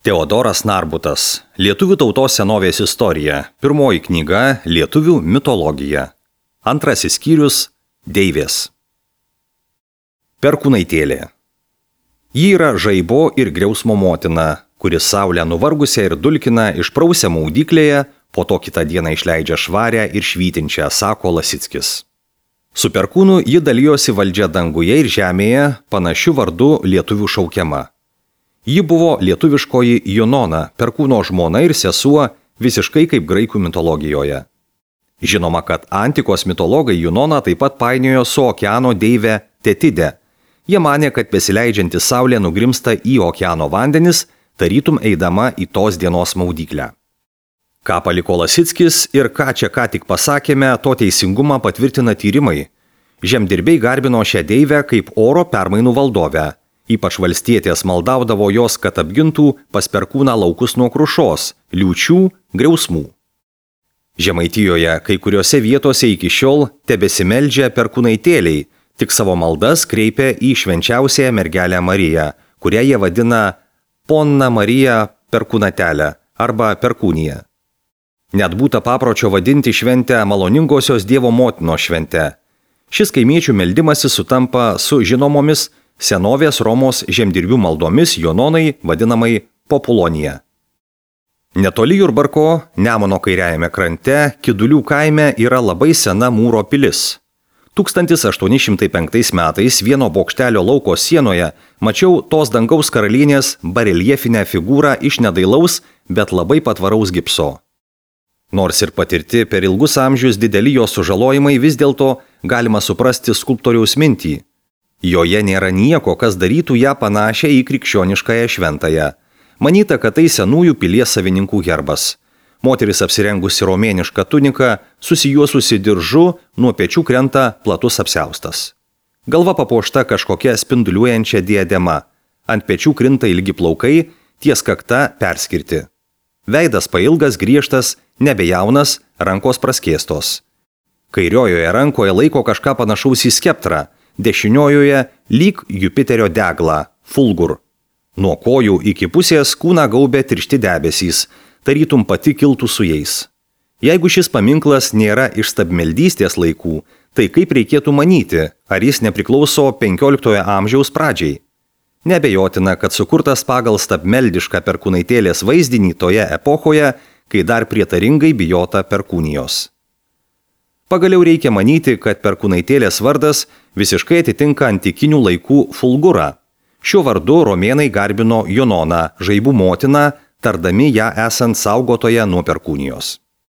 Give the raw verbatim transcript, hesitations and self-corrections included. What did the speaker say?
Teodoras Narbutas. Lietuvių tautos senovės istorija. Pirmoji knyga – Lietuvių mitologija. Antrasis skyrius – Deivės. Perkūnaitėlė. Ji yra žaibo ir griausmo motina, kuris saulę nuvargusią ir dulkina išprausia maudyklėje, po to kitą dieną išleidžia švarę ir švytinčią, sako Lasickis. Su perkūnu ji dalijosi valdžia danguje ir žemėje, panašiu vardu lietuvių šaukiama. Ji buvo lietuviškoji Junona, perkūno žmona ir sesuo, visiškai kaip graikų mitologijoje. Žinoma, kad antikos mitologai Junoną taip pat painiojo su okeano deive Tetide. Jie manė, kad besileidžianti saulė nugrimsta į okeano vandenis, tarytum eidama į tos dienos maudyklę. Ką paliko Lasickis ir ką čia ką tik pasakėme, to teisingumą patvirtina tyrimai. Žemdirbiai garbino šią deivę kaip oro permainų valdovę. Ypač valstietės maldaudavo jos, kad apgintų pas perkūną laukus nuo krušos, liūčių, griausmų. Žemaitijoje kai kuriuose vietose iki šiol tebesimeldžia perkūnaitėliai, tik savo maldas kreipia į švenčiausiąją mergelę Mariją, kurią jie vadina Ponna Marija Perkūnatelė arba Perkūnija. Net būta papročio vadinti šventę maloningosios Dievo motinos švente. Šis kaimiečių meldimasis sutampa su žinomomis senovės Romos žemdirbių maldomis Jononai, vadinamai Populonija. Netoli Jurbarko, Nemuno kairiajame krante, Kidulių kaime yra labai sena mūro pilis. tūkstantis aštuoni šimtai penktais metais vieno bokštelio lauko sienoje mačiau tos dangaus karalienės bareljefinę figūrą iš nedailaus, bet labai patvaraus gipso. Nors ir patirti per ilgus amžius dideli jos sužalojimai, vis dėlto galima suprasti skulptoriaus mintį. Joje nėra nieko, kas darytų ją panašią į krikščioniškąją šventąją. Manyta, kad tai senųjų pilies savininkų herbas. Moteris apsirengusi romėnišką tuniką, susijuosusi diržu, nuo pečių krenta platus apsiaustas. Galva papuošta kažkokia spinduliuojančia diadema. Ant pečių krinta ilgi plaukai, ties kakta perskirti. Veidas pailgas, griežtas, nebejaunas, rankos praskėstos. Kairiojoje rankoje laiko kažką panašaus į skeptrą, dešiniojoje lyg Jupiterio deglą, fulgur. Nuo kojų iki pusės kūną gaubė tiršti debesys, tarytum pati kiltų su jais. Jeigu šis paminklas nėra iš stabmeldystės laikų, tai kaip reikėtų manyti, ar jis nepriklauso penkioliktojo amžiaus pradžiai? Neabejotina, kad sukurtas pagal stabmeldišką perkūnaitėlės vaizdinį toje epochoje, kai dar prietaringai bijota perkūnijos. Pagaliau reikia manyti, kad perkūnaitėlės vardas visiškai atitinka antikinių laikų fulgurą. Šiuo vardu romėnai garbino Junoną, žaibų motiną, tardami ją esant saugotoje nuo perkūnijos.